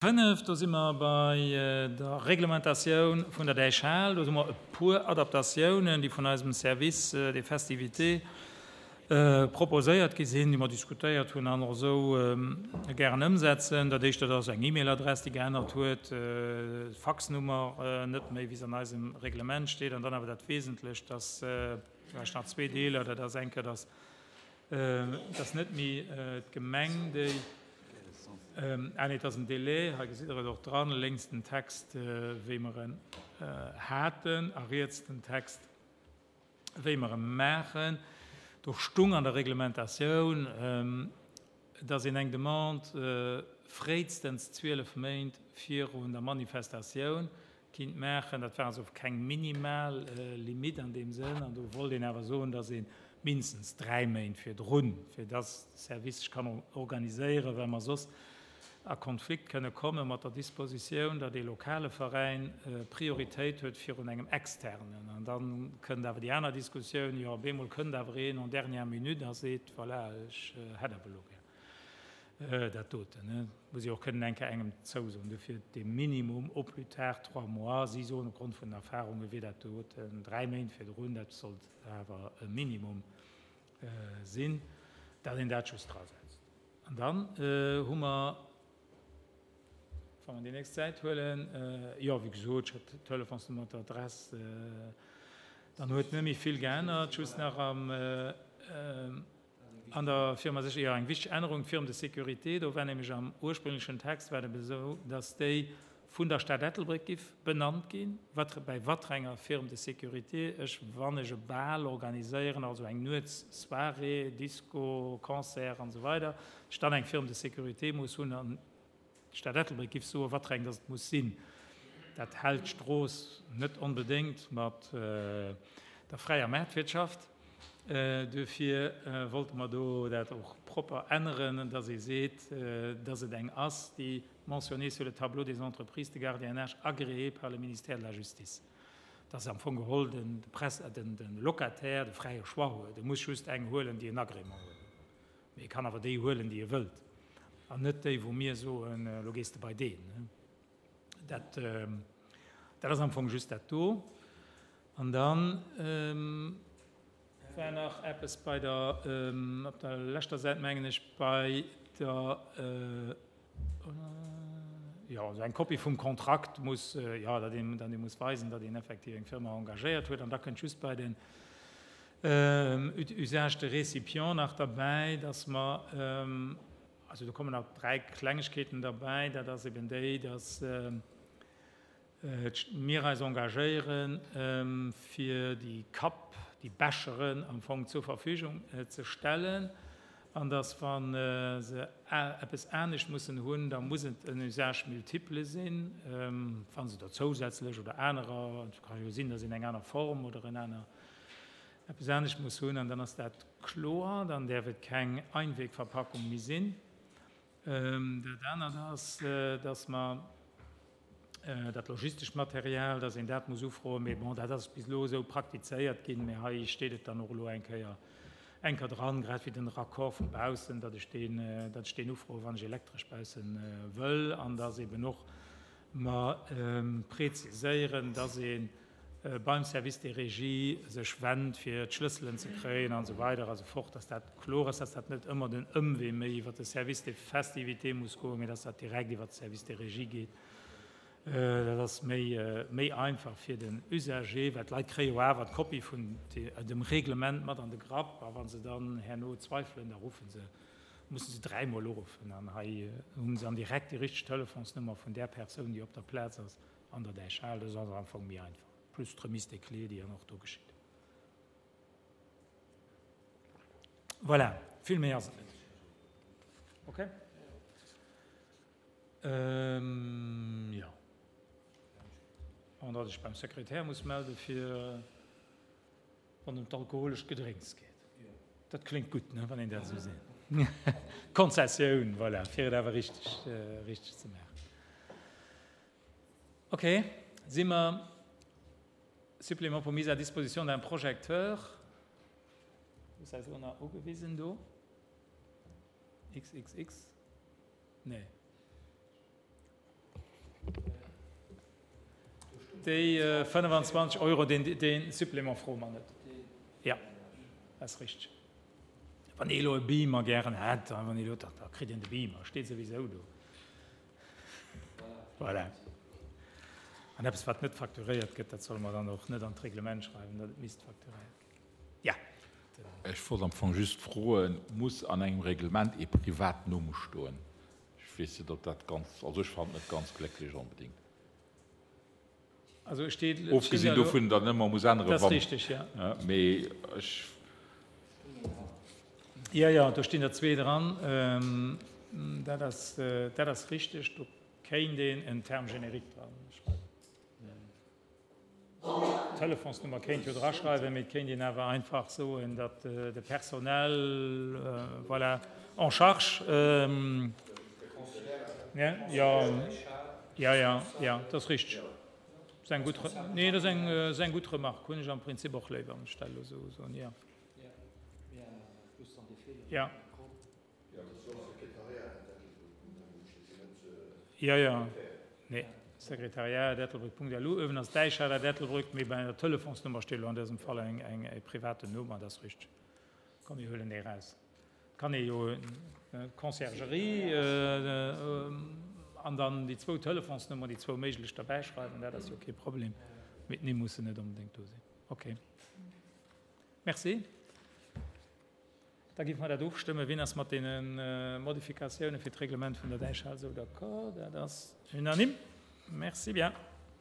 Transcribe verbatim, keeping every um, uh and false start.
Fënnef, do si mer bei der Reglementatioun vun der Däichhal. Do hu mer e puer Adaptatiounen, déi vun eisem Service des festivités proposéiert gi sinn, déi mer diskutéiert hunn an och esou gären ëmsetzen. Dat Éischt, dat ass eng E-Mail-Adress, déi geännert huet, d'Faxnummer net méi, wéi se an eisem Reglement steet. An dann awer dat Wesentlecht, dass vläicht nach zwee Deeler, dat ass eng Kéier, dass dass net méi d'Gemeng, déi, ah nee, et ass en Délai, hei gesitt Der et och dran, lénks den Text, wéi mer en haten, a riets den Text, wéi mer e maachen. Do stung an der Reglementatioun, dass een eng Demande fréistens zwielef Méint virun der Manifestatioun kinnt maachen. Dat war also keng minimal Limite an deem Sënn. An do wollt een awer soen, dass ee mindestens dräi Méint virdrun, fir dass de Service sech kann organiséieren, well mer soss a Konflikt kënne komme mat der Dispositioun, datt ee lokale Veräin Prioritéit huet virun engem externen. An da kënnt awer déi aner Diskussioun, jo, op eemol kënnt awer een en dernière minute a seet, voilà, ech hätt awer elo gär dat doten. Muss ee och kënnen eng Kéier engem zousoen. Dofir dee Minimum au plus tard trois mois. Si soen, opgrond vun den Erfahrunge wier dat doten dräi Méint virdrun, dat sollt awer e Minimum sinn, datt een dat just drasetzt. An dann hu mer, wa mer déi nächst Säit huelen, jo, wéi gesot, ech hat d'Telefonsnummer, d'Adress, dann huet net méi vill geännert, just nach am, an der Firma sech, jo, eng wichteg Ännerung, d'Firme de sécurité, do war nämlech am ursprünglechen Text war et eben esou, dass déi vun der Stad Ettelbréck giff benannt ginn, wat bäi watrenger Firme de sécurité ech, wann ech e Bal organiséieren, also eng Nuetssoirée, Disco, Concert an esou weider, ech dann eng Firme de sécurité muss hunn an d'Stad Ettelbréck giff soen, watreng dass et muss sinn. Dat hält d'Strooss net onbedéngt mat der fräier Maartwirtschaft. Duerfir wollte mer do dat och propper änneren, dass ee seet, dass et eng ass, déi mentionnée sur le tableau des entreprises de gardiennage agréées par le ministère de la Justice. Dass am Fong geholl den Locataire de fräie Choix huet. E muss just eng huelen, déi en Agrément huet. Mee e kann awer déi huelen, déi e wëllt, an net déi, wou mir soen, elo gees de bei deen. Dat, dat ass am Fong just dat do. An dann war nach eppes bei der, op der leschter Säit, mengen ech, bei der, jo, also eng Kopie vum Kontrakt muss, jo, datt een, datt ee muss weisen, datt een effektiv eng Firma engagéiert huet. An da kënnt just bei den Usage de récipient nach derbäi, datt mer, also do kommen nach dräi Klengegkeeten derbäi, dat ass eben déi, datt mir eis engagéieren, fir déi Kapp, déi Becheren am Fong zur Verfügung ze stellen, an datt, wa se eppes anescht mussen hunn, da muss et en Usage multiple sinn, wa se da zousätzlech oder anerer, et ka jo sinn, datt een eng aner Form oder en aner eppes anescht muss hunn, an dann ass dat kloer, dann däerf et keng Einwegverpackung méi sinn. Dat anert ass, datt mer dat logistescht Material, datt een dat muss ufroen, mee bon, dat ass bis elo esou praktizéiert ginn, mee hei steet et dann och elo eng Kéier eng Kéier dran, grad wéi den Raccord vu baussen, datt ech deen, datt ech deen ufroen, wann ech elektresch baussen wëll, an datt eben och mer preziséieren, datt ee beim Service des Régies sech wennt, fir d'Schlësselen ze kréien an esou weider a sou fort, datt dat kloer ass, datt dat net ëmmer den Ëmwee méi iwwert de Service des Festivités muss goen, mee datt dat direkt iwwert de Service des Régies geet. Dat ass méi, méi einfach fir den Usager, well d'Leit kréie jo awer d'Kopie vun dem Reglement mat an de Grapp, a wa se dann herno zweifelen, da ruffe se, musse se dräimol uruffen. An hei hu se dann direkt déi richteg Telefonsnummer vun där Persoun, déi op der Plaz ass an der Däichhal. Dat ass also am Fong méi einfach, plus d'Remise des clés, déi dann och do geschitt. Voilà, vill méi ass et net. Okay. Jo. An datt ech beim Sekretär muss melde fir wann ëm d'alkoholescht Gedrénks geet. Dat kléngt gutt, ne, wann een dat esou seet. Konzessioun, voilà, fir et awer richteg, richteg ze maachen. Okay, si mer Supplément pour mise à disposition d'un projecteur. Ass eis elo nach ugewisen do? XXX? Nee. Déi fënnefenzwanzeg Euro, deen, dee Supplément froe mer net. Jo, dat ass richteg. Wann ee elo e Beamer gären hätt, da wann ee elo, da kritt een de Beamer, steet souwisou do. Voilà. An eppes, wat net facturéiert gëtt, dat solle mer dann och net an d'Reglement schreiwen, datt et misst facturéiert ginn. Jo. Ech wollt am Fong just froen, Muss an engem Reglement ee Privatnumm stoen? Ech weess net, ob dat ganz, also ech fannen et net ganz glécklech onbedéngt. Also et steet, et stinn Ofgesinn der elo, dovun, datt en ëmmer muss änneren, dat ass wann, richtig, ja. Mee ech. Jo, jo, do stinn der zwee dran. Dat ass, dat ass richtig. Do kéint een en Terme générique dra schreiwen. D'Telefonsnummer kéint jo draschreiwen, mee et kéint een awer einfach soen, datt de Personnel, voilà, en charge, ne, jo, jo, jo, jo, dat ass richteg. Dat ass eng gutt, nee, dat ass eng, ass eng gutt Remarque, hunn ech am Prinzip och léiwer, wann ech dat elo esou soen, jo. Jo. Jo, jo, nee. Sekretariat at ettelbréck Punkt lu. Uewen ass Däichhal at Ettelbréck, mee bei der Telefonsnummer steet elo an dësem Fall eng, eng, e privaten Numm an dat ass richteg. Komm, mir huelen dee raus. Et kann ee jo d'Conciergerie an dann déi zwou Telefonsnummern, déi zwou méiglech derbäischreiwen, dat ass jo kee Problem. Mee d'Nimm mussen net onbedéngt do sinn. Okay. Merci. Da géife mer dat ofstëmmen. Wien ass mat deene Modifikatioune fir d'Reglement vun der Däichhal esou d'accord? Dat ass unanime. Merci bien.